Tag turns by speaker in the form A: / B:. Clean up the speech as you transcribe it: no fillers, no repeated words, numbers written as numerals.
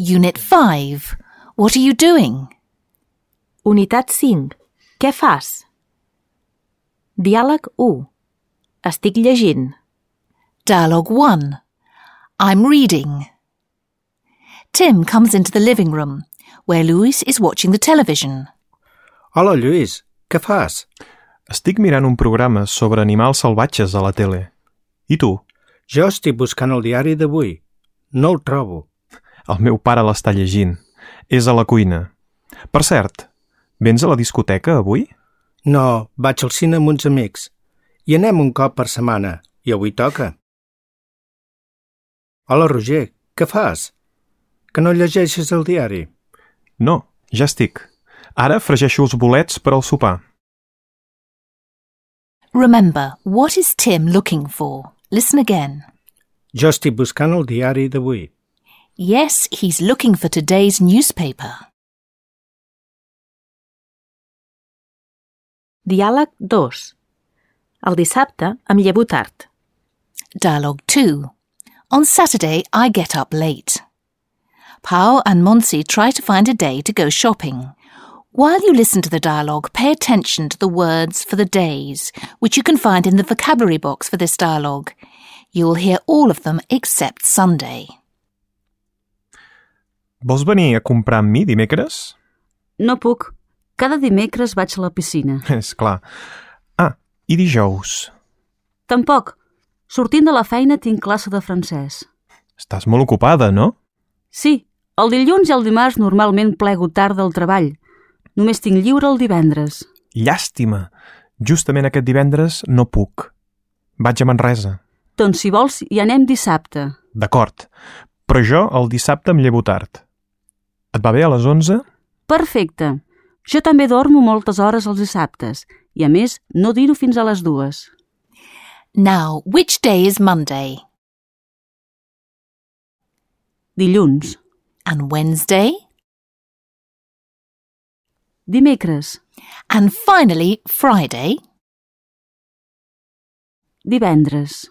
A: Unit 5. What are you doing?
B: Unitat 5. Què fas? Diàleg 1. Estic llegint.
A: Dialogue 1. I'm reading. Tim comes into the living room, where Louis is watching the television.
C: Hola, Lluís. Què fas?
D: Estic mirant un programa sobre animals salvatges a la tele. I tu?
C: Jo estic buscant el diari d'avui. No el trobo.
D: El meu pare l'està llegint. És a la cuina. Per cert, vens a la discoteca avui?
C: No, vaig al cine amb uns amics. Hi anem un cop per setmana, i avui toca. Hola, Roger. Què fas? Que no llegeixes el diari?
D: No, ja estic. Ara fregeixo els bolets per al sopar.
A: Remember, what is Tim looking for? Listen again.
C: Jo estic buscant el diari d'avui.
A: Yes, he's looking for today's newspaper.
B: Diàleg 2. El dissabte em llevo tard.
A: Dialogue 2. On Saturday, I get up late. Pao and Monsi try to find a day to go shopping. While you listen to the dialogue, pay attention to the words for the days, which you can find in the vocabulary box for this dialogue. You will hear all of them except Sunday.
D: Vols venir a comprar amb mi dimecres?
E: No puc. Cada dimecres vaig a la piscina.
D: És clar. Ah, i dijous?
E: Tampoc. Sortint de la feina tinc classe de francès.
D: Estàs molt ocupada, no?
E: Sí, el dilluns i el dimarts normalment plego tard del treball. Només tinc lliure el divendres.
D: Llàstima. Justament aquest divendres no puc. Vaig a Manresa.
E: Doncs si vols hi anem dissabte.
D: D'acord, però jo el dissabte em llevo tard. Et va bé a les 11?
E: Perfecte. Jo també dormo moltes hores els dissabtes i, a més, no dino fins a les 2.
A: Now, which day is Monday?
E: Dilluns.
A: And Wednesday?
E: Dimecres.
A: And finally, Friday?
E: Divendres.